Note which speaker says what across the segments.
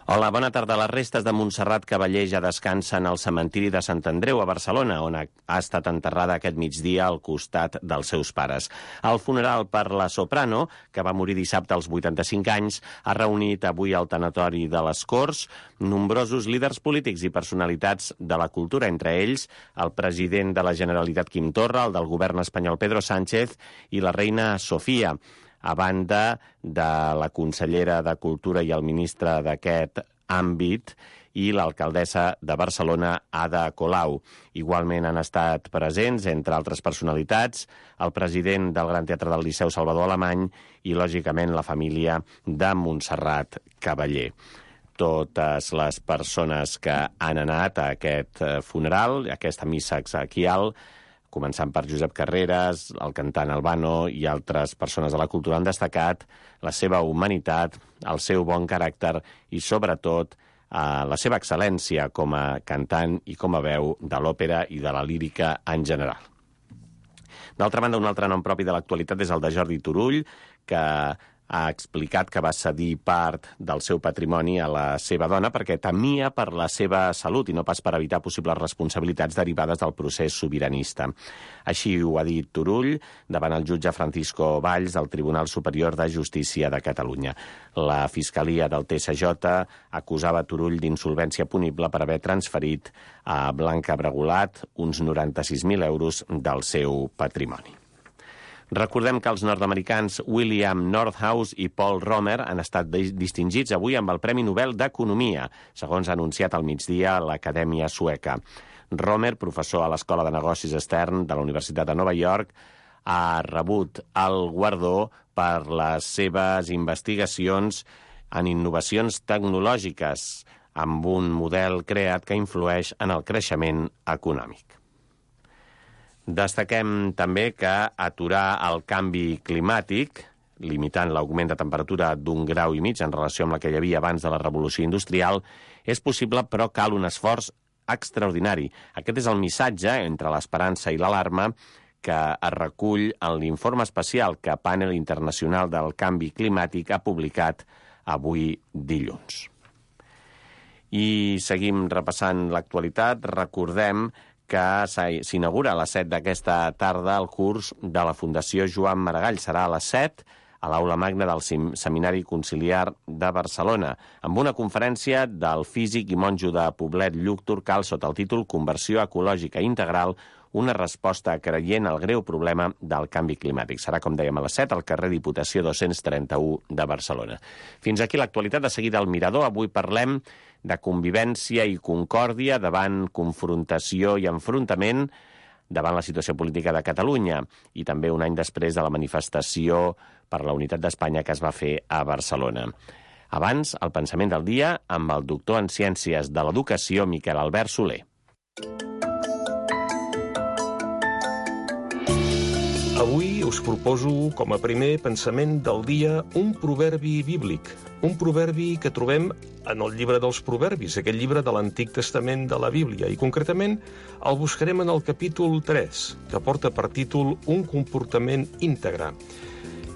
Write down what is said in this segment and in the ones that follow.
Speaker 1: Hola, bona tarda. Les restes de Montserrat Cavaller ja descansen al cementiri de Sant Andreu, a Barcelona, on ha estat enterrada aquest migdia al costat dels seus pares. El funeral per la soprano, que va morir dissabte als 85 anys, ha reunit avui al tanatori de les Corts nombrosos líders polítics i personalitats de la cultura, entre ells el president de la Generalitat Quim Torra, el del govern espanyol Pedro Sánchez i la reina Sofia, a banda de la consellera de Cultura i el ministre d'aquest àmbit i l'alcaldessa de Barcelona, Ada Colau. Igualment han estat presents, entre altres personalitats, el president del Gran Teatre del Liceu, Salvador Alemany, i, lògicament, la família de Montserrat Cavaller. Totes les persones que han anat a aquest funeral, a aquesta missa exequial, començant per Josep Carreras, el cantant Albano i altres persones de la cultura, han destacat la seva humanitat, el seu bon caràcter i, sobretot, la seva excel·lència com a cantant i com a veu de l'òpera i de la lírica en general. D'altra banda, un altre nom propi de l'actualitat és el de Jordi Turull, que ha explicat que va cedir part del seu patrimoni a la seva dona perquè temia per la seva salut i no pas per evitar possibles responsabilitats derivades del procés sobiranista. Així ho ha dit Turull davant el jutge Francisco Valls del Tribunal Superior de Justícia de Catalunya. La Fiscalia del TSJ acusava Turull d'insolvència punible per haver transferit a Blanca Bregolat uns 96.000 euros del seu patrimoni. Recordem que els nord-americans William Nordhaus i Paul Romer han estat distingits avui amb el Premi Nobel d'Economia, segons ha anunciat al migdia l'Acadèmia Sueca. Romer, professor a l'Escola de Negocis Stern de la Universitat de Nova York, ha rebut el guardó per les seves investigacions en innovacions tecnològiques amb un model creat que influeix en el creixement econòmic. Destaquem també que aturar el canvi climàtic, limitant l'augment de temperatura d'1,5 graus en relació amb la que hi havia abans de la revolució industrial, és possible, però cal un esforç extraordinari. Aquest és el missatge, entre l'esperança i l'alarma, que es recull en l'informe especial que Panel Internacional del Canvi Climàtic ha publicat avui dilluns. I seguim repassant l'actualitat. Recordem que s'inaugura a les 7 d'aquesta tarda el curs de la Fundació Joan Maragall. Serà a les 7 a l'Aula Magna del Seminari Conciliar de Barcelona, amb una conferència del físic i monjo de Poblet Lluc Turcal sota el títol Conversió ecològica integral, una resposta creient al greu problema del canvi climàtic. Serà, com dèiem, a les 7 al carrer Diputació 231 de Barcelona. Fins aquí l'actualitat. De seguida al Mirador. Avui parlem de convivència i concòrdia davant confrontació i enfrontament davant la situació política de Catalunya i també un any després de la manifestació per la unitat d'Espanya que es va fer a Barcelona. Abans, el pensament del dia amb el doctor en Ciències de l'Educació, Miquel Albert Soler.
Speaker 2: Avui us proposo, com a primer pensament del dia, un proverbi bíblic. Un proverbi que trobem en el llibre dels Proverbis, aquest llibre de l'Antic Testament de la Bíblia. I concretament el buscarem en el capítol 3, que porta per títol Un comportament íntegre.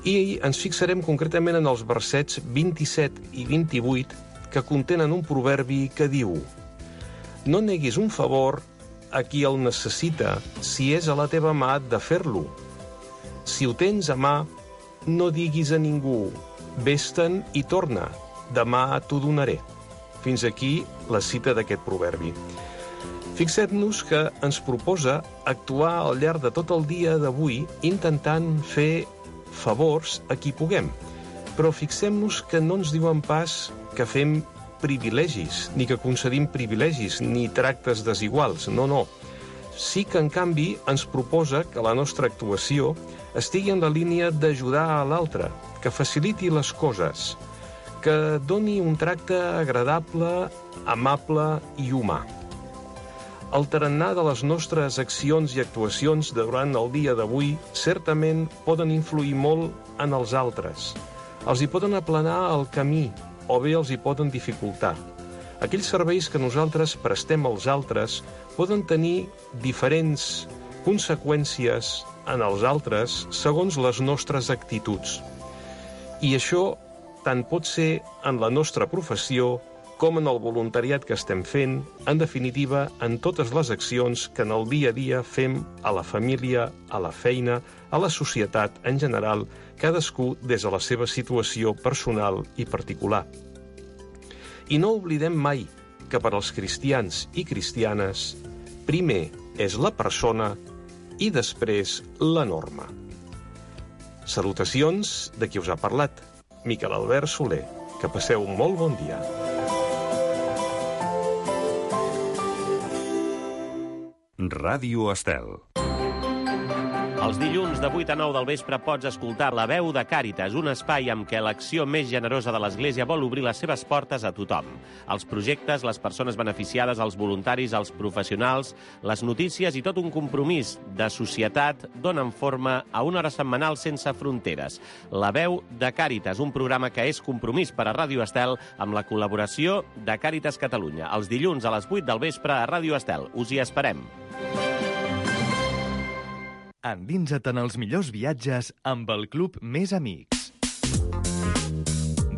Speaker 2: I ens fixarem concretament en els versets 27 i 28, que contenen un proverbi que diu: No neguis un favor a qui el necessita si és a la teva mà de fer-lo. Si ho tens a mà, no diguis a ningú, vés-te'n i torna, demà t'ho donaré. Fins aquí la cita d'aquest proverbi. Fixem-nos que ens proposa actuar al llarg de tot el dia d'avui intentant fer favors a qui puguem. Però fixem-nos que no ens diuen pas que fem privilegis, ni que concedim privilegis, ni tractes desiguals. No. Sí que, en canvi, ens proposa que la nostra actuació estigui en la línia d'ajudar a l'altre, que faciliti les coses, que doni un tracte agradable, amable i humà. El tarannà de les nostres accions i actuacions durant el dia d'avui certament poden influir molt en els altres. Els hi poden aplanar el camí o bé els hi poden dificultar. Aquells serveis que nosaltres prestem als altres poden tenir diferents conseqüències en els altres segons les nostres actituds. I això tant pot ser en la nostra professió com en el voluntariat que estem fent, en definitiva, en totes les accions que en el dia a dia fem a la família, a la feina, a la societat en general, cadascú des de la seva situació personal i particular. I no oblidem mai que per als cristians i cristianes, primer és la persona i després la norma. Salutacions de qui us ha parlat, Miquel Albert Soler. Que passeu un molt bon dia.
Speaker 3: Ràdio Estel.
Speaker 1: Els dilluns de 8 a 9 del vespre pots escoltar La veu de Càritas, un espai amb què l'acció més generosa de l'Església vol obrir les seves portes a tothom. Els projectes, les persones beneficiades, els voluntaris, els professionals, les notícies i tot un compromís de societat donen forma a una hora setmanal sense fronteres. La veu de Càritas, un programa que és compromís per a Ràdio Estel amb la col·laboració de Càritas Catalunya. Els dilluns a les 8 del vespre a Ràdio Estel. Us hi esperem.
Speaker 4: Endinsa't en els millors viatges amb el Club Més Amics.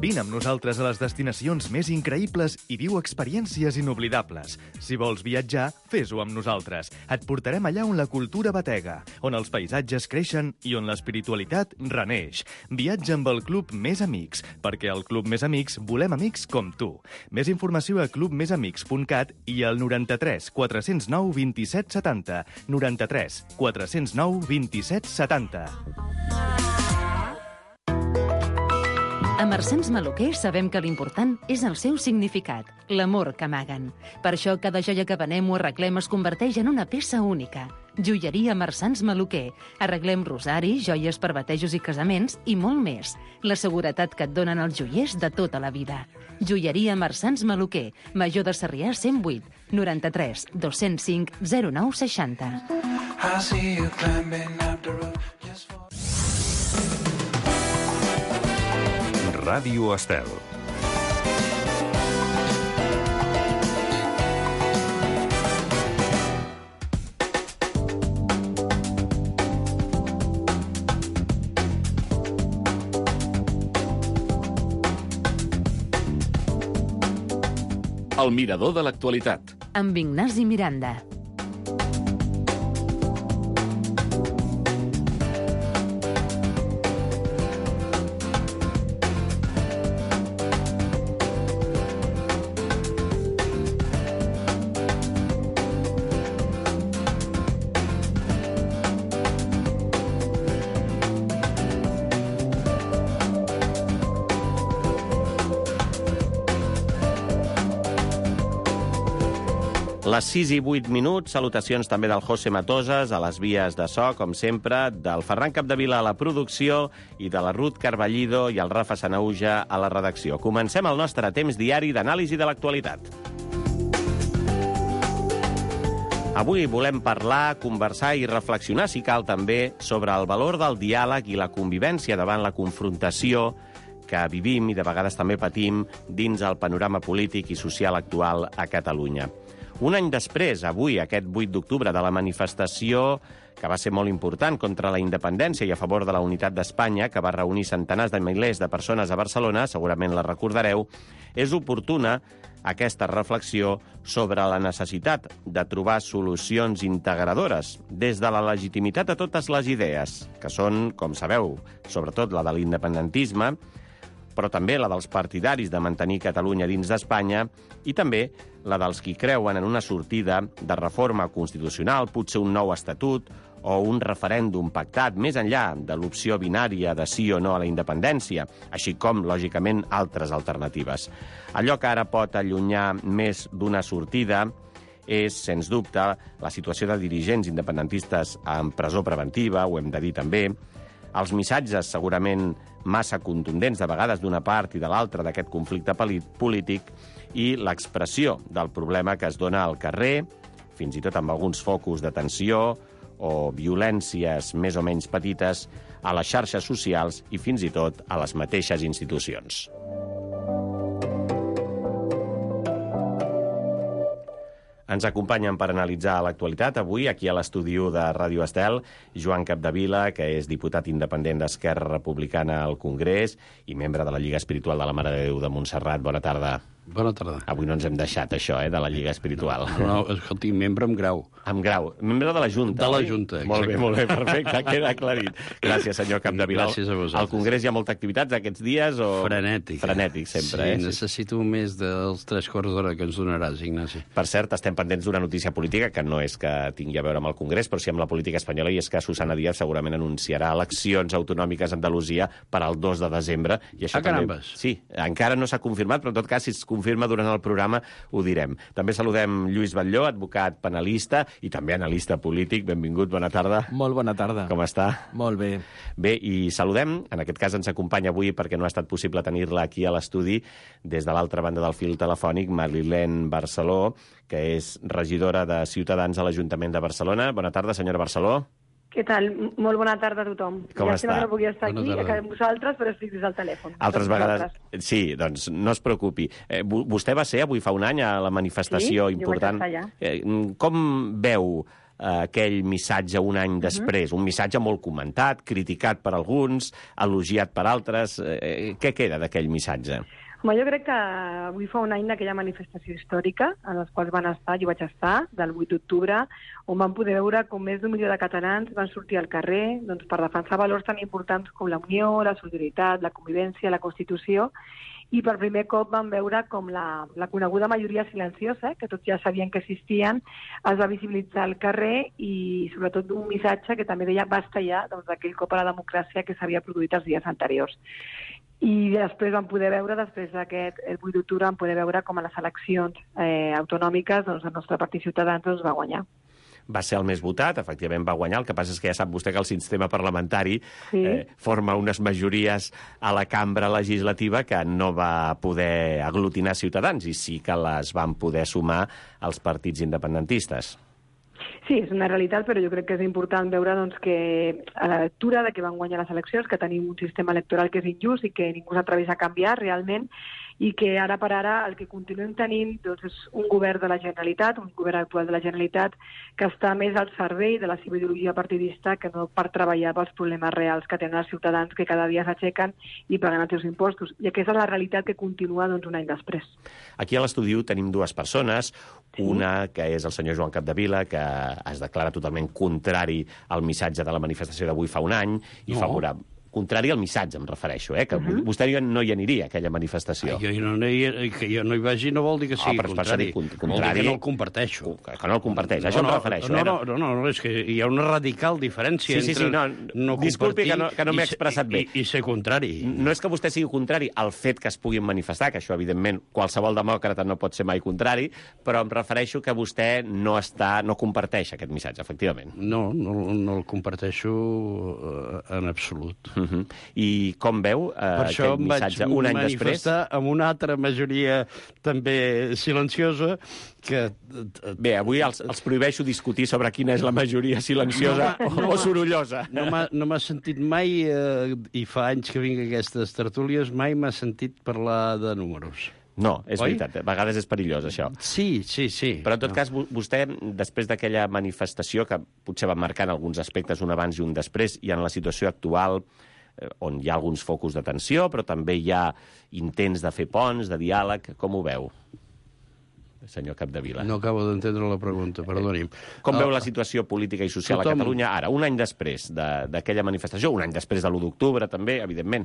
Speaker 4: Vine amb nosaltres a les destinacions més increïbles i viu experiències inoblidables. Si vols viatjar, fes-ho amb nosaltres. Et portarem allà on la cultura batega, on els paisatges creixen i on l'espiritualitat reneix. Viatja amb el Club Més Amics, perquè al Club Més Amics volem amics com tu. Més informació a clubmesamics.cat i al 93 409 27 70. 93 409 27 70.
Speaker 5: A Marsans Maluquer sabem que l'important és el seu significat, l'amor que amaguen. Per això cada joia que venem o arreglem es converteix en una peça única. Joieria Marsans Maluquer. Arreglem rosaris, joies per batejos i casaments i molt més. La seguretat que et donen els joiers de tota la vida. Joieria Marsans Maluquer. Major de Sarrià 108 93 205 09 60.
Speaker 3: Ràdio Estel.
Speaker 6: El mirador de l'actualitat.
Speaker 5: Amb Ignasi Miranda.
Speaker 1: Les 6 i 8 minuts, salutacions també del José Matoses a les vies de so, com sempre, del Ferran Capdevila a la producció i de la Ruth Carballido i el Rafa Sanauja a la redacció. Comencem el nostre temps diari d'anàlisi de l'actualitat. Avui volem parlar, conversar i reflexionar, si cal també, sobre el valor del diàleg i la convivència davant la confrontació que vivim i de vegades també patim dins el panorama polític i social actual a Catalunya. Un any després, avui, aquest 8 d'octubre, de la manifestació que va ser molt important contra la independència i a favor de la unitat d'Espanya, que va reunir centenars de milers de persones a Barcelona, segurament la recordareu, és oportuna aquesta reflexió sobre la necessitat de trobar solucions integradores des de la legitimitat de totes les idees, que són, com sabeu, sobretot la de l'independentisme, però també la dels partidaris de mantenir Catalunya dins d'Espanya i també la dels qui creuen en una sortida de reforma constitucional, potser un nou estatut o un referèndum pactat més enllà de l'opció binària de sí o no a la independència, així com, lògicament, altres alternatives. Allò que ara pot allunyar més d'una sortida és, sens dubte, la situació de dirigents independentistes en presó preventiva, ho hem de dir també, els missatges segurament massa contundents de vegades d'una part i de l'altra d'aquest conflicte polític i l'expressió del problema que es dona al carrer, fins i tot amb alguns focus de tensió o violències més o menys petites a les xarxes socials i fins i tot a les mateixes institucions. Ens acompanyen per analitzar l'actualitat avui, aquí a l'estudi de Ràdio Estel, Joan Capdevila, que és diputat independent d'Esquerra Republicana al Congrés i membre de la Lliga Espiritual de la Mare de Déu de Montserrat. Bona tarda.
Speaker 7: Bona tarda.
Speaker 1: Avui no ens hem deixat això, de la Lliga Espiritual.
Speaker 7: No, escolti, membre amb grau.
Speaker 1: Amb grau. Membre de la Junta.
Speaker 7: De la
Speaker 1: oi?
Speaker 7: Junta,
Speaker 1: Molt bé,
Speaker 7: exacte.
Speaker 1: perfecte, queda aclarit. Gràcies, senyor Capdevila.
Speaker 7: Gràcies a vosaltres.
Speaker 1: Al Congrés hi ha molta activitat aquests dies? O...
Speaker 7: Frenètic.
Speaker 1: Frenètic, sempre,
Speaker 7: Sí, necessito més dels 3/4 d'hora que ens donaràs, Ignasi.
Speaker 1: Per cert, estem pendents d'una notícia política que no és que tingui a veure amb el Congrés, però sí amb la política espanyola, i és que Susana Díaz segurament anunciarà eleccions autonòmiques a Andalusia per al 2 de desembre. I això
Speaker 7: carambes!
Speaker 1: Sí, encara no s'ha confirmat, però en tot cas, si es confirma durant el programa, ho direm. També saludem Lluís Batlló, advocat penalista i també analista polític. Benvingut, bona tarda.
Speaker 8: Molt bona tarda.
Speaker 1: Com està?
Speaker 8: Molt bé.
Speaker 1: Bé, i saludem, en aquest cas ens acompanya avui perquè no ha estat possible tenir-la aquí a l'estudi, des de l'altra banda del fil telefònic, Marilén Barceló, que és regidora de Ciutadans a l'Ajuntament de Barcelona. Bona tarda, senyora Barceló.
Speaker 9: Què tal? Molt bona tarda a tothom.
Speaker 1: Com està?
Speaker 9: Ja no pugui estar
Speaker 7: Bona
Speaker 9: aquí,
Speaker 7: tarda.
Speaker 9: amb vosaltres, però estic des del telèfon.
Speaker 1: Altres
Speaker 9: Amb
Speaker 1: vegades...
Speaker 9: vosaltres.
Speaker 1: Sí, doncs no es preocupi. Vostè va ser avui fa un any a la manifestació
Speaker 9: Sí, jo
Speaker 1: important.
Speaker 9: vaig estar
Speaker 1: Com veu aquell missatge un any després? Un missatge molt comentat, criticat per alguns, elogiat per altres. Què queda d'aquell missatge?
Speaker 9: Home, jo crec que avui fa un any d'aquella manifestació històrica en les quals van estar, jo vaig estar, del 8 d'octubre, on van poder veure com més d'1 milió de catalans van sortir al carrer doncs, per defensar valors tan importants com la unió, la solidaritat, la convivència, la Constitució, i per primer cop van veure com la coneguda majoria silenciosa, que tots ja sabien que existien, es va visibilitzar al carrer i sobretot un missatge que també deia basta ja d'aquell cop a la democràcia que s'havia produït els dies anteriors. I després vam poder veure, després d'aquest 8 d'octubre, vam poder veure com a les eleccions autonòmiques doncs, el nostre partit Ciutadans doncs, va guanyar.
Speaker 1: Va ser el més votat, efectivament va guanyar. El que passa és que ja sap vostè que el sistema parlamentari forma unes majories a la cambra legislativa que no va poder aglutinar Ciutadans i sí que les van poder sumar als partits independentistes.
Speaker 9: Sí, és una realitat, però jo crec que és important veure doncs, que a la lectura de que van guanyar les eleccions, que tenim un sistema electoral que és injust i que ningú s'atreveix a canviar realment, i que ara per ara el que continuem tenint doncs, és un govern de la Generalitat, un govern actual de la Generalitat, que està més al servei de la seva ideologia partidista que no per treballar pels problemes reals que tenen els ciutadans que cada dia s'aixequen i paguen els seus impostos. I aquesta és la realitat que continua doncs, un any després.
Speaker 1: Aquí a l'estudi tenim dues persones, una que és el senyor Joan Capdevila, que es declara totalment contrari al missatge de la manifestació d'avui fa un any i favorable. Contrari al missatge, em refereixo, que vostè no hi aniria, a aquella manifestació.
Speaker 7: Que jo no hi vagi no vol dir que sigui contrari. Vol dir que no el comparteixo.
Speaker 1: Que no el comparteix, això em refereixo.
Speaker 7: No, és que hi ha una radical diferència entre no
Speaker 1: disculpi
Speaker 7: compartir
Speaker 1: que no m'he expressat bé.
Speaker 7: I ser contrari.
Speaker 1: No és que vostè sigui contrari al fet que es puguin manifestar, que això, evidentment, qualsevol demòcrata no pot ser mai contrari, però em refereixo que vostè no comparteix aquest missatge, efectivament.
Speaker 7: No el comparteixo en absolut.
Speaker 1: I com veu aquest missatge un any després?
Speaker 7: Per això em vaig manifestar amb una altra majoria també silenciosa que...
Speaker 1: Bé, avui els prohibeixo discutir sobre quina és la majoria silenciosa o sorollosa.
Speaker 7: No m'ha sentit mai, i fa anys que vinc a aquestes tertúlies, mai m'ha sentit parlar de números.
Speaker 1: No, és veritat, a vegades és perillós, això.
Speaker 7: Sí.
Speaker 1: Però, en tot cas, vostè, després d'aquella manifestació, que potser va marcant alguns aspectes, un abans i un després, i en la situació actual, on hi ha alguns focus de tensió, però també hi ha intents de fer ponts, de diàleg, com ho veu, senyor Capdevila?
Speaker 7: No acabo d'entendre la pregunta, perdoni'm.
Speaker 1: Com veu la situació política i social a Catalunya ara, un any després d'aquella manifestació, un any després de l'1 d'octubre, també, evidentment?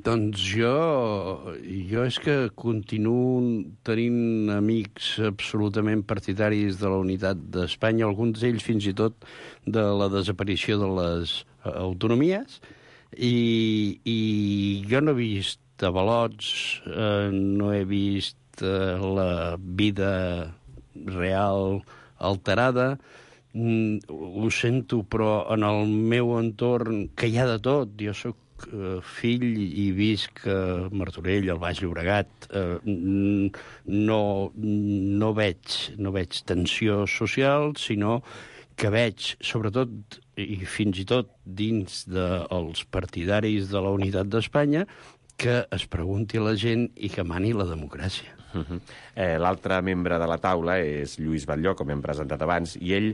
Speaker 7: Doncs jo és que continuo tenint amics absolutament partidaris de la unitat d'Espanya, alguns d'ells fins i tot de la desaparició de les autonomies, i jo no he vist avalots, no he vist la vida real alterada. Ho sento, però en el meu entorn, que hi ha de tot, jo sóc fill i visc a Martorell, al Baix Llobregat, no veig tensió social, sinó que veig, sobretot i fins i tot dins dels partidaris de la unitat d'Espanya, que es pregunti a la gent i que mani la democràcia.
Speaker 1: L'altre membre de la taula és Lluís Batlló, com hem presentat abans, i ell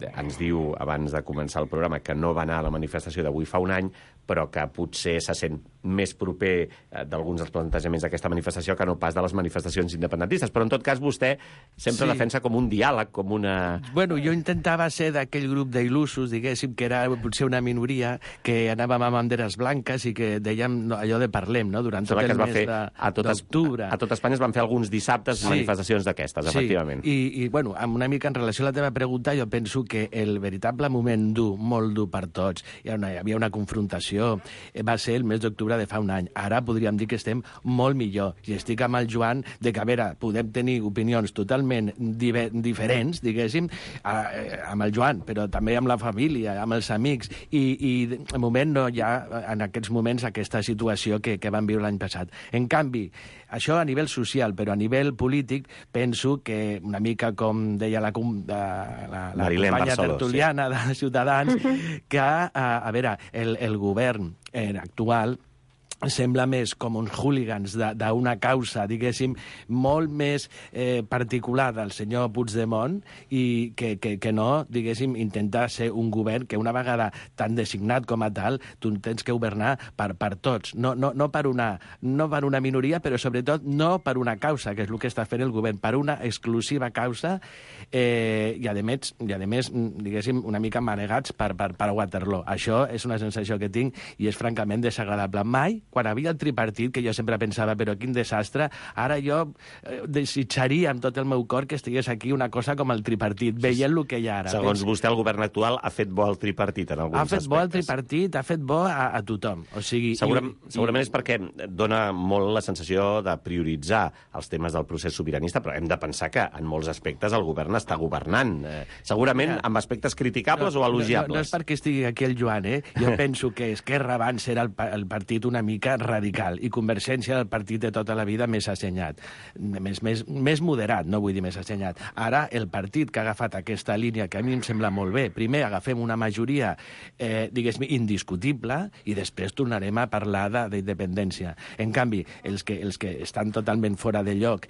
Speaker 1: ens diu, abans de començar el programa, que no va anar a la manifestació d'avui fa un any, però que potser se sent més proper d'alguns dels plantejaments d'aquesta manifestació que no pas de les manifestacions independentistes. Però, en tot cas, vostè sempre defensa com un diàleg, com una...
Speaker 7: Bueno, jo intentava ser d'aquell grup d'il·lusos, diguéssim, que era potser una minoria, que anàvem amb banderes blanques i que dèiem allò de parlem, no?, durant tot el mes d'octubre.
Speaker 1: A tot Espanya es van fer alguns dissabtes manifestacions d'aquestes, efectivament.
Speaker 7: I, bueno, amb una mica en relació a la teva pregunta, jo penso que el veritable moment dur, molt dur per tots, hi havia una confrontació, va ser el mes d'octubre de fa un any. Ara podríem dir que estem molt millor. I estic amb el Joan de que, a veure, podem tenir opinions totalment diferents, diguéssim, amb el Joan, però també amb la família, amb els amics, i de moment no hi ha, en aquests moments, aquesta situació que vam viure l'any passat. En canvi, això a nivell social, però a nivell polític, penso que una mica com deia la companya tertuliana de Ciutadans, que, a veure, el govern actual sembla més com uns hooligans d'una causa, diguéssim, molt més particular del senyor Puigdemont i que no, diguéssim, intentar ser un govern que una vegada tan designat com a tal, tu tens que governar per tots, no per una minoria, però sobretot no per una causa, que és el que està fent el govern, per una exclusiva causa i a més, diguéssim, una mica manegats per Waterloo. Això és una sensació que tinc i és francament desagradable. Mai, quan havia el tripartit, que jo sempre pensava, però quin desastre, ara jo desitjaria amb tot el meu cor que estigués aquí una cosa com el tripartit, veient el que hi ha ara.
Speaker 1: Segons vostè, el govern actual ha fet bo el tripartit en alguns aspectes.
Speaker 7: Ha fet bo el tripartit, ha fet bo a tothom. O sigui,
Speaker 1: segurament és perquè dona molt la sensació de prioritzar els temes del procés sobiranista, però hem de pensar que en molts aspectes el govern està governant. Segurament amb aspectes criticables o elogiables.
Speaker 7: No és perquè estigui aquí el Joan, Jo penso que Esquerra abans era el partit una mica radical i Convergència el partit de tota la vida més assenyat, més moderat, no vull dir més assenyat. Ara el partit que ha agafat aquesta línia, que a mi em sembla molt bé, primer agafem una majoria, diguéssim, indiscutible i després tornarem a parlar d'independència. En canvi, els que estan totalment fora de lloc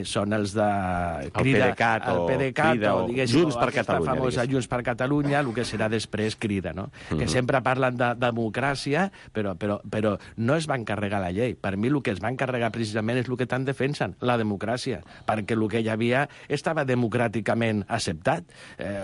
Speaker 7: són els de Crida, el PDeCAT o
Speaker 1: Junts per Catalunya,
Speaker 7: famosa Junts per Catalunya, el que serà després Crida, no? Que sempre parlen de democràcia, però no es van carregar la llei. Per mi el que es van carregar precisament és el que tant defensen, la democràcia, perquè el que hi havia estava democràticament acceptat.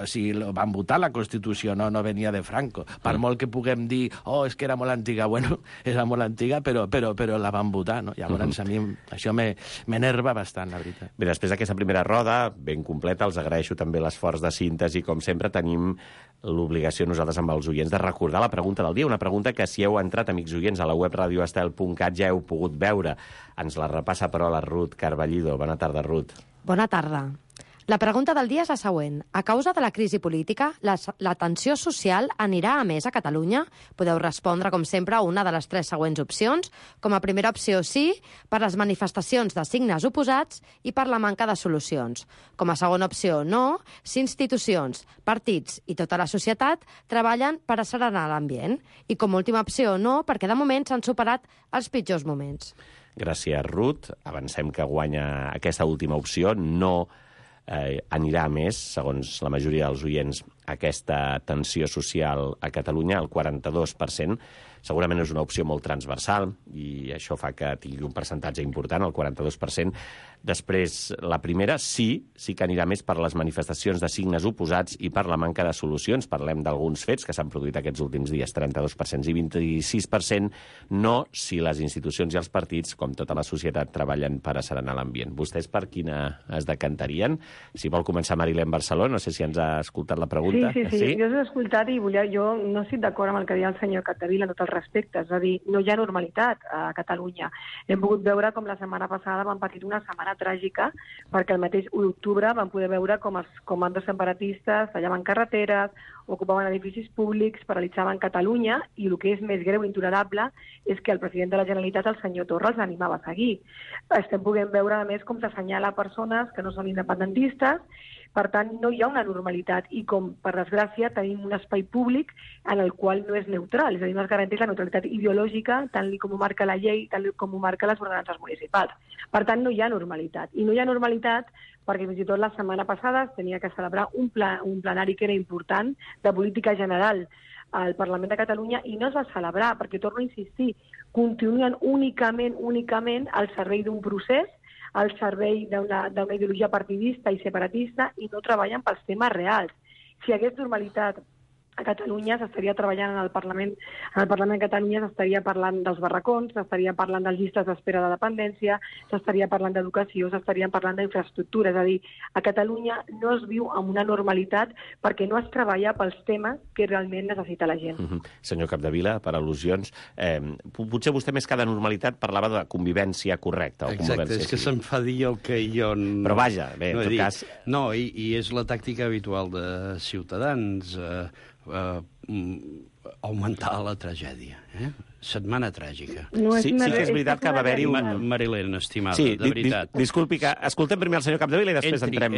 Speaker 7: O sigui, van votar la Constitució, no venia de Franco. Per molt que puguem dir, és que era molt antiga, bueno, era molt antiga, però la van votar, no? Llavors a mi això m'enerva bastant, la veritat.
Speaker 1: Bé, després d'aquesta primera roda, ben completa, els agraeixo també l'esforç de síntesi. Com sempre, tenim l'obligació nosaltres amb els oients de recordar la pregunta del dia, una pregunta que si heu entrat, amics oients, a la web radioestel.cat ja heu pogut veure. Ens la repassa, però, la Ruth Carballido. Bona tarda, Ruth.
Speaker 8: Bona tarda. La pregunta del dia és la següent. A causa de la crisi política, la tensió social anirà a més a Catalunya? Podeu respondre, com sempre, a una de les 3 següents opcions. Com a primera opció, sí, per les manifestacions de signes oposats i per la manca de solucions. Com a segona opció, no, si institucions, partits i tota la societat treballen per asserenar l'ambient. I com a última opció, no, perquè de moment s'han superat els pitjors moments.
Speaker 1: Gràcies, Ruth. Avancem que guanya aquesta última opció. No anirà a més, segons la majoria dels oients, aquesta tensió social a Catalunya, el 42%. Segurament és una opció molt transversal i això fa que tingui un percentatge important, el 42%. Després, la primera, sí que anirà més per les manifestacions de signes oposats i per la manca de solucions. Parlem d'alguns fets que s'han produït aquests últims dies, 32% i 26% no, si les institucions i els partits, com tota la societat, treballen per asserenar l'ambient. Vostès per quina es decantarien? Si vol començar Marilén Barceló, no sé si ens ha escoltat la pregunta.
Speaker 9: Sí, jo us he escoltat i jo no estic d'acord amb el que deia el senyor Capdevila en tot el respecte, és a dir, no hi ha normalitat a Catalunya. Hem pogut veure com la setmana passada vam patir una setmana tràgica perquè el mateix 1 d'octubre vam poder veure com els comandos separatistes tallaven carreteres, ocupaven edificis públics, paralitzaven Catalunya i el que és més greu i intolerable és que el president de la Generalitat, el senyor Torra, els animava a seguir. Estem podent veure, a més, com s'assenyala persones que no són independentistes. Per tant, no hi ha una normalitat i com, per desgràcia, tenim un espai públic en el qual no és neutral, és a dir, no es garanteix la neutralitat ideològica tant com ho marca la llei, tant com ho marca les ordenances municipals. Per tant, no hi ha normalitat. I no hi ha normalitat perquè fins i tot la setmana passada es tenia que celebrar un plenari que era important de política general al Parlament de Catalunya i no es va celebrar, perquè, torno a insistir, continuen únicament al servei d'un procés, al servei d'una ideologia partidista i separatista, i no treballen pels temes reals. Si hi hagués normalitat a Catalunya, s'estaria treballant en el Parlament de Catalunya, s'estaria parlant dels barracons, s'estaria parlant de llistes d'espera de dependència, s'estaria parlant d'educació, s'estaria parlant d'infraestructura. És a dir, a Catalunya no es viu amb una normalitat perquè no es treballa pels temes que realment necessita la gent.
Speaker 1: Senyor Capdevila, per al·lusions, potser vostè més que de normalitat parlava de convivència correcta.
Speaker 7: Exacte, és que se'm fa dir el que jo...
Speaker 1: Però vaja, bé, en tot cas...
Speaker 7: No, i és la tàctica habitual de Ciutadans, augmentar la tragèdia. Setmana tràgica.
Speaker 1: Sí que és veritat que va haver-hi un...
Speaker 7: Marilén, estimada, de veritat.
Speaker 1: Disculpi, que escoltem primer el senyor Capdevila i després entrem...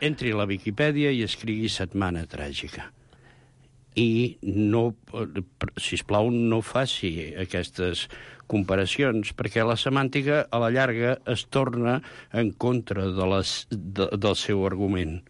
Speaker 7: Entri a la Viquipèdia i escrigui setmana tràgica. I no, sisplau, no faci aquestes comparacions, perquè la semàntica, a la llarga, es torna en contra del seu argument.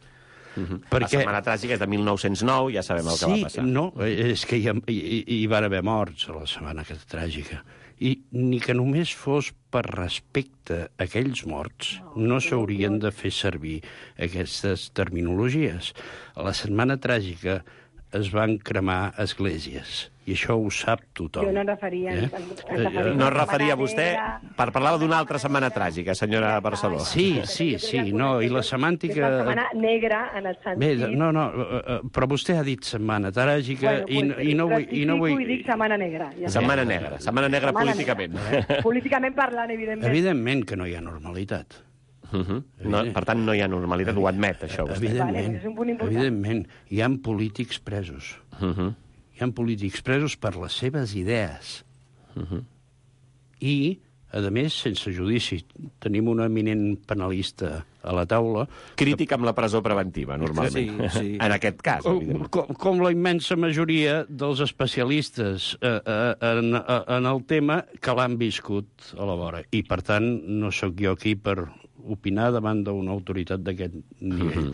Speaker 1: La setmana tràgica és de 1909, ja sabem el que va passar.
Speaker 7: Sí, no, és que hi van haver morts a la setmana tràgica. I ni que només fos per respecte a aquells morts, no s'haurien de fer servir aquestes terminologies. A la setmana tràgica es van cremar esglésies, i això ho sap tothom.
Speaker 9: Jo no referia...
Speaker 1: No es referia a vostè, parlava d'una altra setmana tràgica, senyora Barceló.
Speaker 7: Sí, no, i la semàntica...
Speaker 9: La setmana negra, en el sentit...
Speaker 7: No, però vostè ha dit setmana tràgica i no vull...
Speaker 9: I dic setmana negra.
Speaker 1: Setmana negra políticament.
Speaker 9: Políticament parlant, evidentment.
Speaker 7: Evidentment que no hi ha normalitat.
Speaker 1: Per tant, no hi ha normalitat, ho admet, això.
Speaker 7: Evidentment. Hi ha polítics presos. Hi ha polítics presos per les seves idees. I, a més, sense judici. Tenim un eminent penalista a la taula...
Speaker 1: Crític amb la presó preventiva, normalment. Sí. En aquest cas, evidentment.
Speaker 7: Com la immensa majoria dels especialistes en el tema que l'han viscut a la vora. I, per tant, no sóc jo aquí per opinar davant d'una autoritat d'aquest nivell.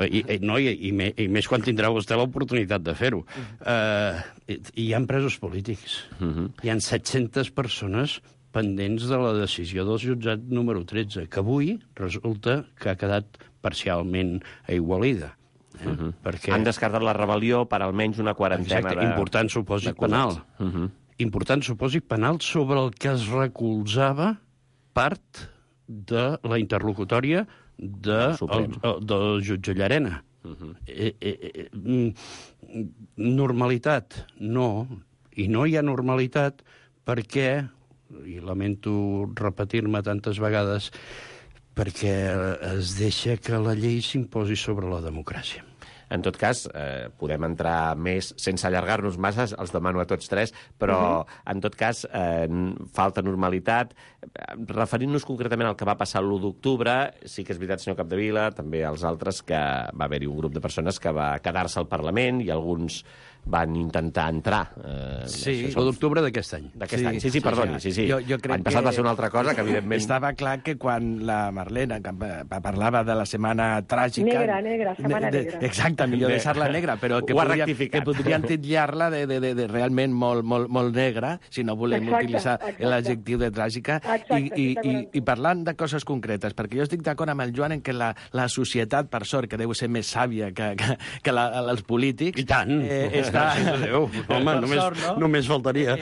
Speaker 7: I més quan tindrà vostè l'oportunitat de fer-ho. Hi ha presos polítics. Hi ha 700 persones pendents de la decisió del jutjat número 13, que avui resulta que ha quedat parcialment aigualida.
Speaker 1: Han descartat la rebel·lió per almenys una quarantena de...
Speaker 7: Important supòsit penal. Important supòsit penal sobre el que es recolzava part de la interlocutòria del jutge Llarena. Normalitat, no. I no hi ha normalitat perquè, i lamento repetir-me tantes vegades, perquè es deixa que la llei s'imposi sobre la democràcia.
Speaker 1: En tot cas, podem entrar més, sense allargar-nos massa, els demano a tots tres, però, en tot cas, falta normalitat. Referint-nos concretament al que va passar l'1 d'octubre, sí que és veritat, senyor Capdevila, també els altres, que va haver-hi un grup de persones que va quedar-se al Parlament i alguns van intentar entrar.
Speaker 7: Sí, l'1 d'octubre d'aquest any.
Speaker 1: D'aquest any, sí, perdoni. L'any passat va ser una altra cosa que, evidentment...
Speaker 10: Estava clar que quan la Marlena parlava de la setmana tràgica...
Speaker 9: Negra, setmana negra.
Speaker 10: Exacte, millor deixar-la negra, però que podrien titllar-la de realment molt negra, si no volem utilitzar l'adjectiu de tràgica, i parlant de coses concretes, perquè jo estic d'acord amb el Joan en que la societat, per sort, que deu ser més sàvia que els polítics...
Speaker 7: I tant! Home, només faltaria.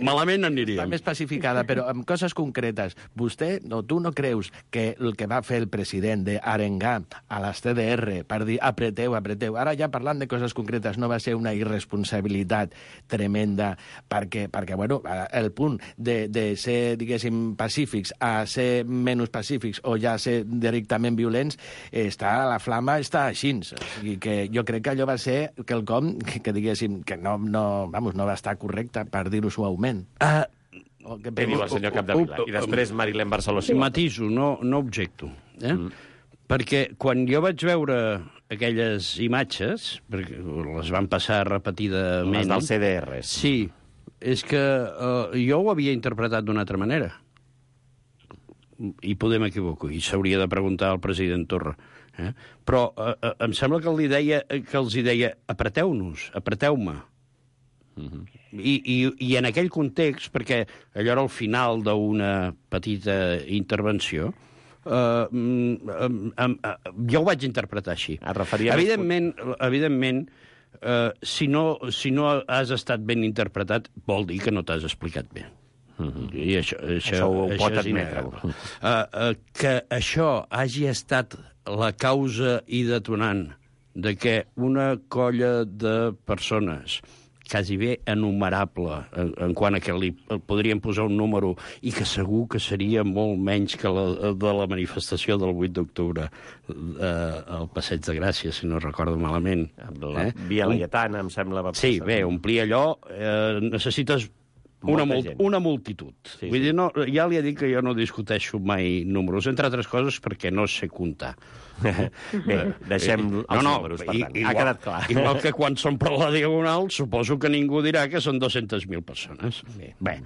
Speaker 7: Malament aniríem.
Speaker 10: Està més pacificada, però amb coses concretes. Vostè, tu no creus que el que va fer el president d'arengar a les CDR per dir apreteu, ara ja parlant de coses concretes, no va ser una irresponsabilitat tremenda, perquè bueno, el punt de ser, diguéssim, pacífics a ser menys pacífics o ja ser directament violents, la flama està així. O sigui que jo crec que allò va ser quelcom que diguéssim que no va estar correcte, per dir-ho suaument.
Speaker 1: Què diu el senyor Capdevila? I després Marilén Barceló.
Speaker 7: Matiso, no objecto. Perquè quan jo vaig veure aquelles imatges, perquè les van passar repetidament...
Speaker 1: Les del CDR.
Speaker 7: Sí, és que jo ho havia interpretat d'una altra manera. I podem equivocar, i s'hauria de preguntar al president Torra. Però em sembla que els deia apreteu-nos, apreteu-me. I en aquell context, perquè allò era el final d'una petita intervenció, jo ho vaig interpretar així. Evidentment, si no has estat ben interpretat, vol dir que no t'has explicat bé. I
Speaker 1: això ho pot admetre.
Speaker 7: Que això hagi estat la causa i detonant de que una colla de persones quasi bé enumerable en quant a que li podríem posar un número i que segur que seria molt menys que la de la manifestació del 8 d'octubre al Passeig de Gràcia, si no recordo malament.
Speaker 1: La Via Laietana, em sembla...
Speaker 7: Sí, bé, omplir allò necessites una multitud. Sí, vull dir, ja li he dit que jo no discuteixo mai números, entre altres coses perquè no sé comptar.
Speaker 1: Bé, deixem els números, per tant. Ha quedat clar.
Speaker 7: Igual que quan són per la Diagonal, suposo que ningú dirà que són 200.000 persones. Bé,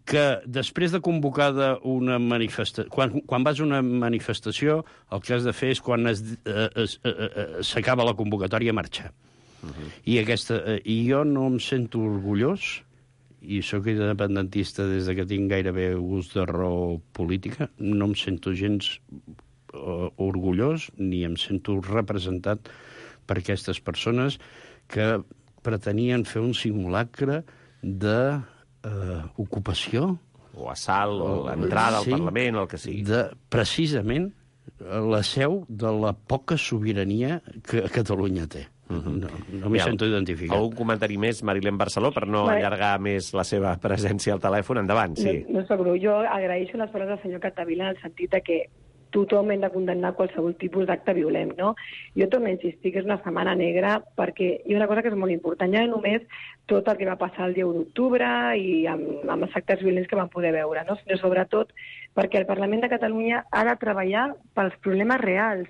Speaker 7: que després de convocada una manifestació... Quan vas a una manifestació, el que has de fer és quan s'acaba la convocatòria marxar. I jo no em sento orgullós, i sóc independentista des que tinc gairebé gust de raó política, no em sento gens orgullós ni em sento representat per aquestes persones que pretenien fer un simulacre d'ocupació.
Speaker 1: O assalt, o l'entrada al Parlament, o el que sigui.
Speaker 7: Precisament la seu de la poca sobirania que Catalunya té. No m'hi sento identificat.
Speaker 1: Algun comentari més, Marilén Barceló, per no allargar més la seva presència al telèfon? Endavant, sí.
Speaker 9: No seguro. Jo agraeixo les paraules del senyor Capdevila en el sentit que tothom hem de condemnar qualsevol tipus d'acte violent, no? Jo torno a insistir que és una setmana negra perquè hi ha una cosa que és molt important, ja no només tot el que va passar el dia 1 d'octubre i amb els actes violents que vam poder veure, no? Sinó sobretot perquè el Parlament de Catalunya ha de treballar pels problemes reals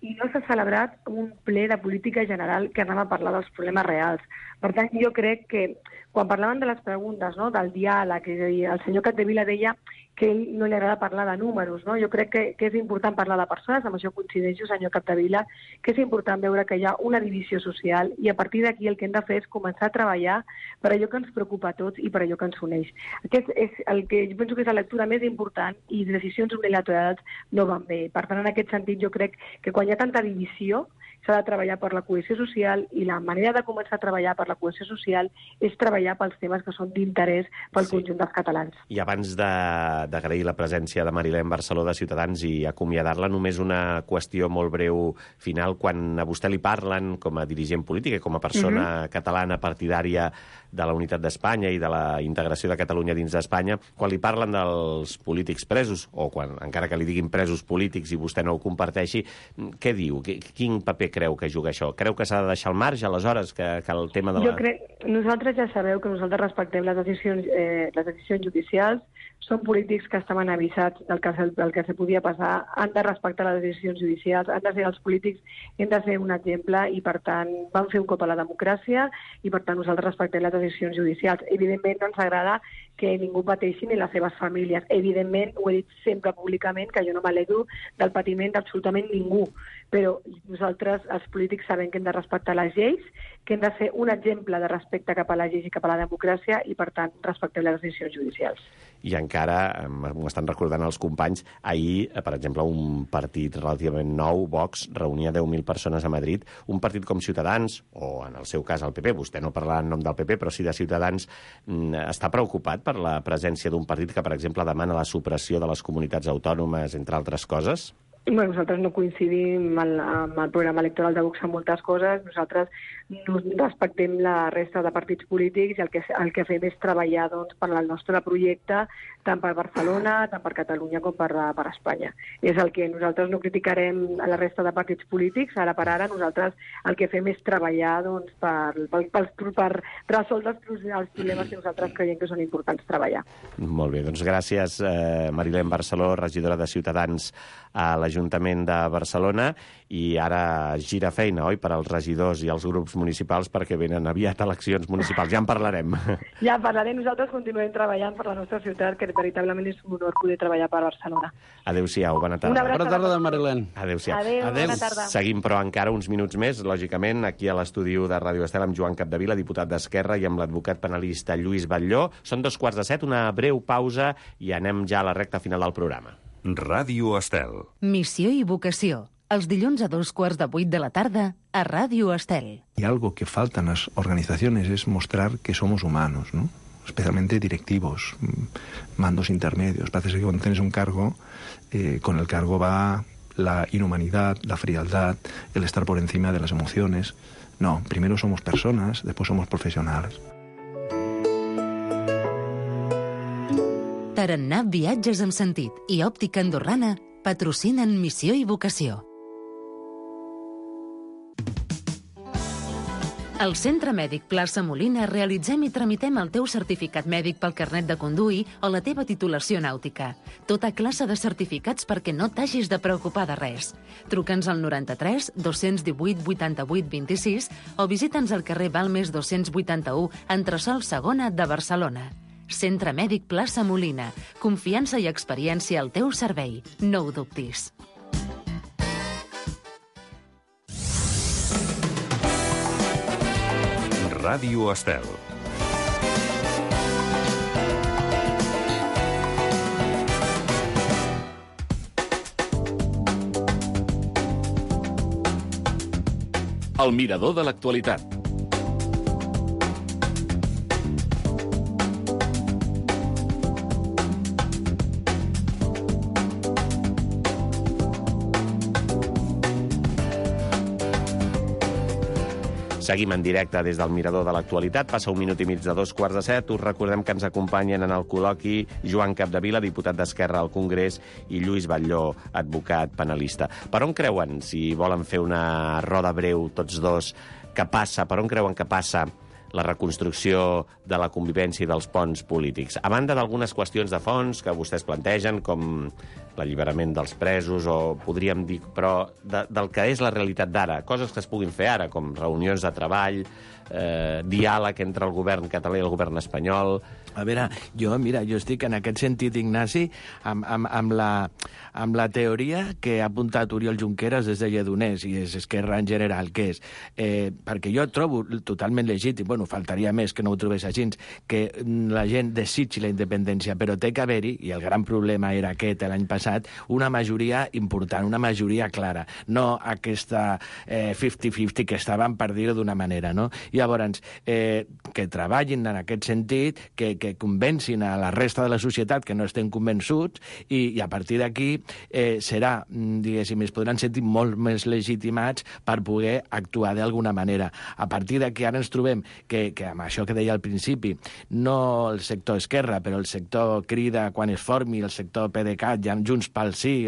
Speaker 9: i no s'ha celebrat un ple de política general que anem a parlar dels problemes reals. Per tant, jo crec que quan parlaven de les preguntes, no, del diàleg, el senyor Capdevila deia que a ell no li agrada parlar de números, no? Jo crec que és important parlar de persones, amb això coincideixo, senyor Capdevila, que és important veure que hi ha una divisió social i a partir d'aquí el que hem de fer és començar a treballar per allò que ens preocupa a tots i per allò que ens uneix. Aquest és el que jo penso que és la lectura més important i decisions unilaterals no van bé. Per tant, en aquest sentit, jo crec que quan hi ha tanta divisió s'ha de treballar per la cohesió social i la manera de començar a treballar per la cohesió social és treballar pels temes que són d'interès pel conjunt dels catalans.
Speaker 1: I abans d'agrair la presència de Marilén Barceló de Ciutadans i acomiadar-la, només una qüestió molt breu final. Quan a vostè li parlen com a dirigent política, com a persona catalana partidària de la unitat d'Espanya i de la integració de Catalunya dins d'Espanya, quan li parlen dels polítics presos, o quan encara que li diguin presos polítics i vostè no ho comparteixi, què diu? Quin paper creu que juga això? Creu que s'ha de deixar al marge, aleshores, que el tema de la...
Speaker 9: Jo crec... Nosaltres ja sabeu que nosaltres respectem les decisions judicials, són polítics que estaven avisats del que se podia passar, han de respectar les decisions judicials, han de ser els polítics, hem de ser un exemple i, per tant, van fer un cop a la democràcia i, per tant, nosaltres respectem les decisions judicials. Evidentment, no ens agrada que ningú pateixi ni les seves famílies. Evidentment, ho he dit sempre públicament, que jo no m'alegro del patiment d'absolutament ningú, però nosaltres, els polítics, sabem que hem de respectar les lleis, que hem de ser un exemple de respecte cap a les lleis i cap a la democràcia i, per tant, respectem les decisions judicials.
Speaker 1: I encara, m'ho estan recordant els companys, ahir, per exemple, un partit relativament nou, Vox, reunia 10.000 persones a Madrid. Un partit com Ciutadans, o en el seu cas el PP, vostè no parlarà en nom del PP, però sí de Ciutadans, està preocupat per la presència d'un partit que, per exemple, demana la supressió de les comunitats autònomes, entre altres coses?
Speaker 9: Bueno, nosaltres no coincidim amb el programa electoral de Vox en moltes coses. Nosaltres no respectem la resta de partits polítics i el que fem és treballar per al nostre projecte, tant per Barcelona, tant per Catalunya com per Espanya. És el que nosaltres no criticarem a la resta de partits polítics. Ara per ara nosaltres el que fem és treballar per resoldre els problemes que nosaltres creiem que són importants treballar.
Speaker 1: Molt bé, doncs gràcies, Marilén Barceló, regidora de Ciutadans a l'Ajuntament l'Ajuntament de Barcelona i ara gira feina, oi?, per als regidors i els grups municipals perquè venen aviat eleccions municipals. Ja en parlarem.
Speaker 9: Ja en parlarem. Nosaltres continuem treballant per la nostra ciutat, que veritablement és un honor poder treballar per Barcelona.
Speaker 1: Adéu-siau, bona tarda.
Speaker 7: Bona tarda, Marilén.
Speaker 1: Adéu-siau.
Speaker 9: Adéu, bona tarda.
Speaker 1: Seguim, però, encara uns minuts més, lògicament, aquí a l'estudi de Ràdio Estel amb Joan Capdevila, diputat d'Esquerra, i amb l'advocat penalista Lluís Batlló. Són 2:45, una breu pausa i anem ja a la recta final del programa.
Speaker 3: Ràdio Estel.
Speaker 5: Missió i vocació. Els dilluns a 7:45 de la tarda a Ràdio Estel.
Speaker 11: Y algo que falta en las organizaciones es mostrar que somos humanos, ¿no? Especialmente directivos, mandos intermedios. Parece que cuando tienes un cargo, con el cargo va la inhumanidad, la frialdad, el estar por encima de las emociones. No, primero somos personas, después somos profesionales.
Speaker 5: Tarannà Viatges amb Sentit i Òptica Andorrana patrocinen Missió i Vocació. Al Centre Mèdic Plaça Molina realitzem i tramitem el teu certificat mèdic pel carnet de conduir o la teva titulació nàutica. Tota classe de certificats perquè no t'hagis de preocupar de res. Truca'ns al 93 218 88 26 o visita'ns al carrer Balmes 281, entresòl segona de Barcelona. Centre Mèdic Plaça Molina. Confiança i experiència al teu servei. No ho dubtis.
Speaker 3: Ràdio Estel.
Speaker 6: El mirador de l'actualitat.
Speaker 1: Seguim en directe des del Mirador de l'Actualitat. Passa 1 minut i mig de 7:15. Us recordem que ens acompanyen en el col·loqui Joan Capdevila, diputat d'Esquerra al Congrés, i Lluís Batlló, advocat penalista. Per on creuen, si volen fer una roda breu tots dos, que passa, per on creuen que passa la reconstrucció de la convivència i dels ponts polítics? A banda d'algunes qüestions de fons que vostès plantegen, com l'alliberament dels presos, o podríem dir, però del que és la realitat d'ara, coses que es puguin fer ara, com reunions de treball, diàleg entre el govern català i el govern espanyol.
Speaker 10: A veure, jo estic en aquest sentit, Ignasi, amb la teoria que ha apuntat Oriol Junqueras des de Lledoners i és Esquerra en general, que és, perquè jo trobo totalment legítim, bueno, faltaria més que no ho trobés així, que la gent desitgi la independència, però té que haver-hi, i el gran problema era aquest l'any passat, una majoria important, una majoria clara, no aquesta 50-50 que estaven, per dir-ho d'una manera, no? Llavors, que treballin en aquest sentit, que convencin a la resta de la societat que no estem convençuts, i a partir d'aquí serà, diguéssim, es podran sentir molt més legitimats per poder actuar d'alguna manera. A partir d'aquí ara ens trobem que amb això que deia al principi, no el sector Esquerra, però el sector Crida quan es formi, el sector PDeCAT, ja Junts pel Sí,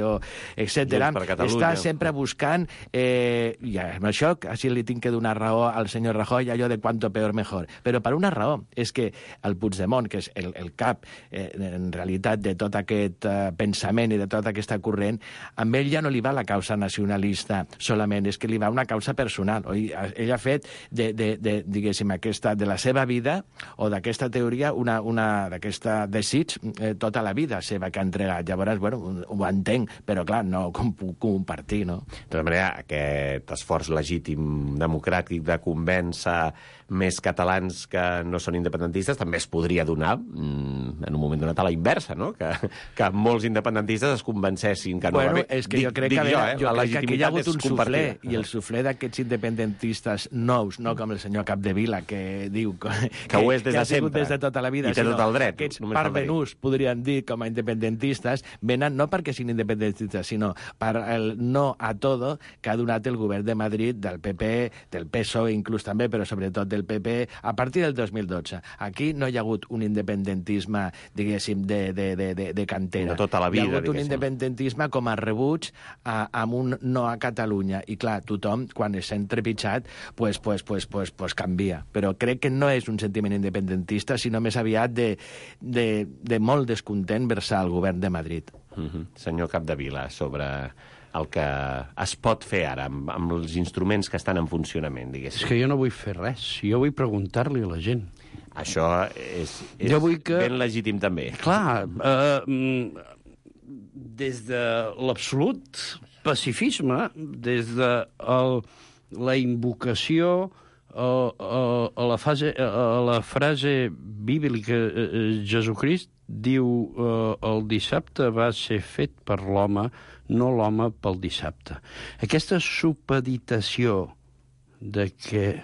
Speaker 10: etc., està sempre buscant, i amb això així li tinc que donar raó al senyor Rajoy, allò de cuanto peor mejor. Però per una raó, és que el Puigdemont, que és el cap, en realitat, de tot aquest pensament i de tota aquesta corrent, amb ell ja no li va la causa nacionalista solament, és que li va una causa personal. Ell ha fet, diguéssim, de la seva vida, o d'aquesta teoria, d'aquest desig, tota la vida seva que ha entregat. Llavors, bueno, ho entenc, però clar, no com puc compartir, no?
Speaker 1: De tota manera, aquest esforç legítim democràtic de convèncer més catalans que no són independentistes també es podria donar en un moment donat a la inversa, no? Que molts independentistes es convencessin que no va bé.
Speaker 10: És que jo crec que aquí hi ha hagut un suflé, i el suflé d'aquests independentistes nous, no com el senyor Capdevila, que diu que
Speaker 1: ho és des de
Speaker 10: ha sigut
Speaker 1: sempre,
Speaker 10: des de tota la vida,
Speaker 1: i té tot el dret.
Speaker 10: Aquests parvenús, podrien dir, com a independentistes, venen no perquè siguin independentistes, sinó per el no a todo que ha donat el govern de Madrid, del PP, del PSOE inclús també, però sobretot del PP, a partir del 2012. Aquí no hi ha hagut un independentisme, diguéssim, de cantera.
Speaker 1: De tota la vida,
Speaker 10: hi ha hagut un independentisme com a rebuig amb un no a Catalunya. I clar, tothom, quan s'ha entrepitjat, pues canvia. Però crec que no és un sentiment independentista, sinó més aviat de molt descontent vers el govern de Madrid.
Speaker 1: Senyor Capdevila, sobre el que es pot fer ara amb els instruments que estan en funcionament, diguéssim?
Speaker 7: És que jo no vull fer res, jo vull preguntar-li a la gent.
Speaker 1: Això és
Speaker 7: que...
Speaker 1: ben legítim també.
Speaker 7: Clar, des de l'absolut pacifisme, des de la invocació a la frase bíblica, Jesucrist diu el dissabte va ser fet per l'home, no l'home pel dissabte. Aquesta supeditació de que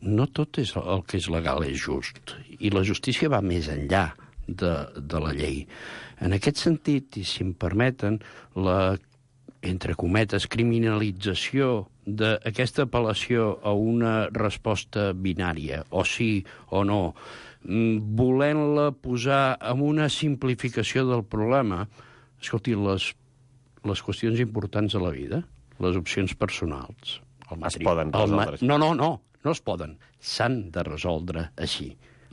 Speaker 7: no tot és el que és legal és just, i la justícia va més enllà de la llei. En aquest sentit, i si em permeten, la, entre cometes, criminalització d'aquesta apel·lació a una resposta binària, o sí o no, volent-la posar en una simplificació del problema, escolti, les qüestions importants de la vida, les opcions personals,
Speaker 1: es poden resoldre.
Speaker 7: No es poden. S'han de resoldre així.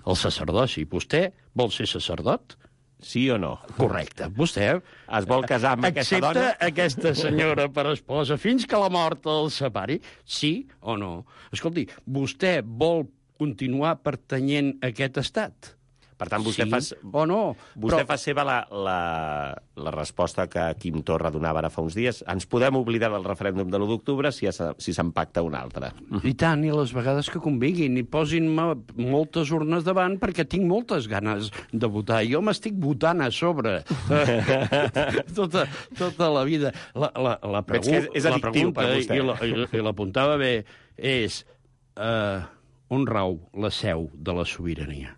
Speaker 7: El sacerdoci. Vostè vol ser sacerdot?
Speaker 1: Sí o no?
Speaker 7: Correcte. Vostè
Speaker 1: es vol casar amb aquesta dona?
Speaker 7: Accepta aquesta senyora per esposa fins que la mort el separi? Sí o no? Escolti, vostè vol continuar pertanyent a aquest estat?
Speaker 1: Per tant, vostè
Speaker 7: sí o no?
Speaker 1: Vostè fa seva la resposta que Quim Torra donava ara fa uns dies. Ens podem oblidar del referèndum de l'1 d'octubre si se'n pacta un altre.
Speaker 7: I tant, i les vegades que convinguin. I posin-me moltes urnes davant perquè tinc moltes ganes de votar. Jo m'estic votant a sobre tota la vida. La pregunta, i l'apuntava bé, és on rau la seu de la sobirania?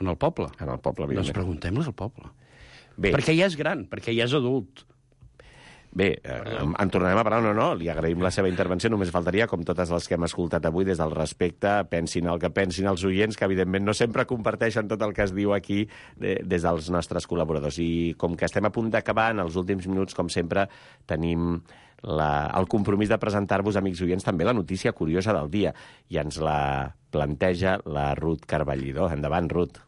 Speaker 7: En el poble.
Speaker 1: En el poble,
Speaker 7: doncs preguntem-les al poble.
Speaker 1: Bé.
Speaker 7: Perquè ja és gran, perquè ja és adult.
Speaker 1: Bé, en tornarem a parlar, no, li agraïm la seva intervenció, només faltaria, com totes les que hem escoltat avui, des del respecte, pensin el que pensin els oients, que evidentment no sempre comparteixen tot el que es diu aquí des dels nostres col·laboradors. I com que estem a punt d'acabar, en els últims minuts, com sempre, tenim el compromís de presentar-vos, amics oients, també la notícia curiosa del dia, i ens la planteja la Ruth Carballidó. Endavant, Ruth.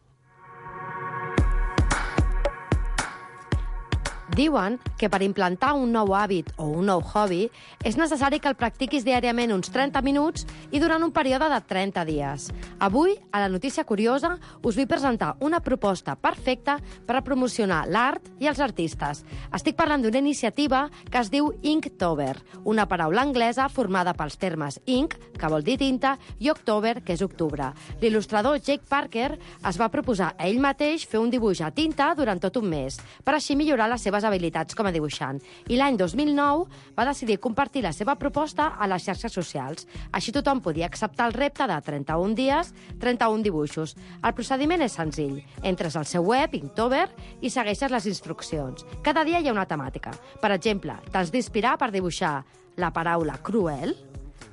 Speaker 8: Diuen que per implantar un nou hàbit o un nou hobby és necessari que el practiquis diàriament uns 30 minuts i durant un període de 30 dies. Avui, a la notícia curiosa, us vull presentar una proposta perfecta per a promocionar l'art i els artistes. Estic parlant d'una iniciativa que es diu Inktober, una paraula anglesa formada pels termes ink, que vol dir tinta, i October, que és octubre. L'il·lustrador Jake Parker es va proposar a ell mateix fer un dibuix a tinta durant tot un mes, per així millorar les seves habilitats com a dibuixant. I l'any 2009 va decidir compartir la seva proposta a les xarxes socials. Així tothom podia acceptar el repte de 31 dies, 31 dibuixos. El procediment és senzill. Entres al seu web, Inktober, i segueixes les instruccions. Cada dia hi ha una temàtica. Per exemple, t'has d'inspirar per dibuixar la paraula cruel,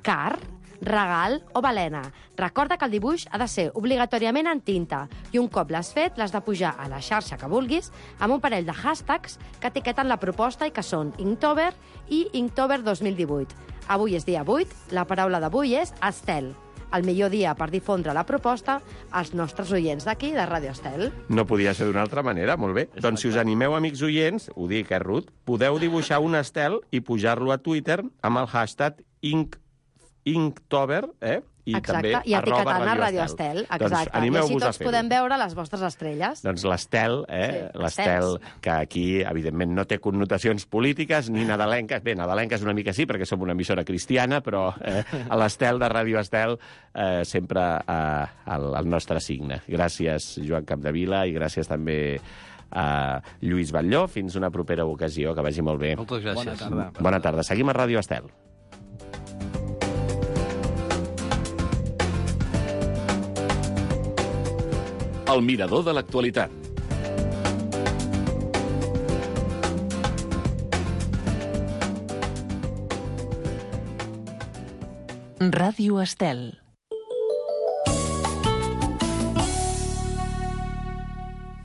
Speaker 8: car, regal o balena. Recorda que el dibuix ha de ser obligatòriament en tinta i un cop l'has fet l'has de pujar a la xarxa que vulguis amb un parell de hashtags que etiqueten la proposta i que són Inktober i Inktober 2018. Avui és dia 8, la paraula d'avui és Estel. El millor dia per difondre la proposta als nostres oients d'aquí, de Ràdio Estel.
Speaker 1: No podia ser d'una altra manera, molt bé. Doncs si us animeu, amics oients, ho dic, Ruth, podeu dibuixar un estel i pujar-lo a Twitter amb el hashtag Inktober, i
Speaker 8: exacte,
Speaker 1: també
Speaker 8: i etiquetant a Ràdio Estel. Exacte.
Speaker 1: Doncs
Speaker 8: i així tots podem veure les vostres estrelles.
Speaker 1: Doncs l'Estel,
Speaker 8: Sí,
Speaker 1: l'Estel, que aquí, evidentment, no té connotacions polítiques ni nadalenques. Bé, nadalenques una mica sí, perquè som una emissora cristiana, però a l'Estel de Ràdio Estel sempre el nostre signe. Gràcies, Joan Capdevila, i gràcies també a Lluís Batlló. Fins una propera ocasió, que vagi molt bé.
Speaker 7: Moltes gràcies.
Speaker 10: Bona tarda.
Speaker 1: Bona tarda. Seguim a Ràdio Estel.
Speaker 6: El mirador de l'actualitat.
Speaker 5: Ràdio Estel.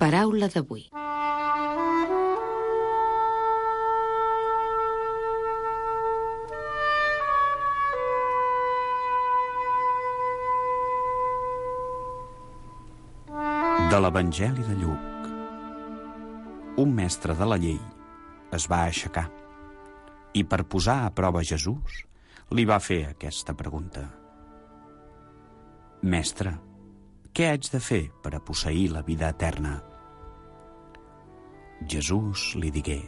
Speaker 5: Paraula d'avui.
Speaker 12: De l'Evangeli de Lluc. Un mestre de la llei es va aixecar I per posar a prova Jesús, li va fer aquesta pregunta. Mestre, què haig de fer per a posseir la vida eterna? Jesús li digué: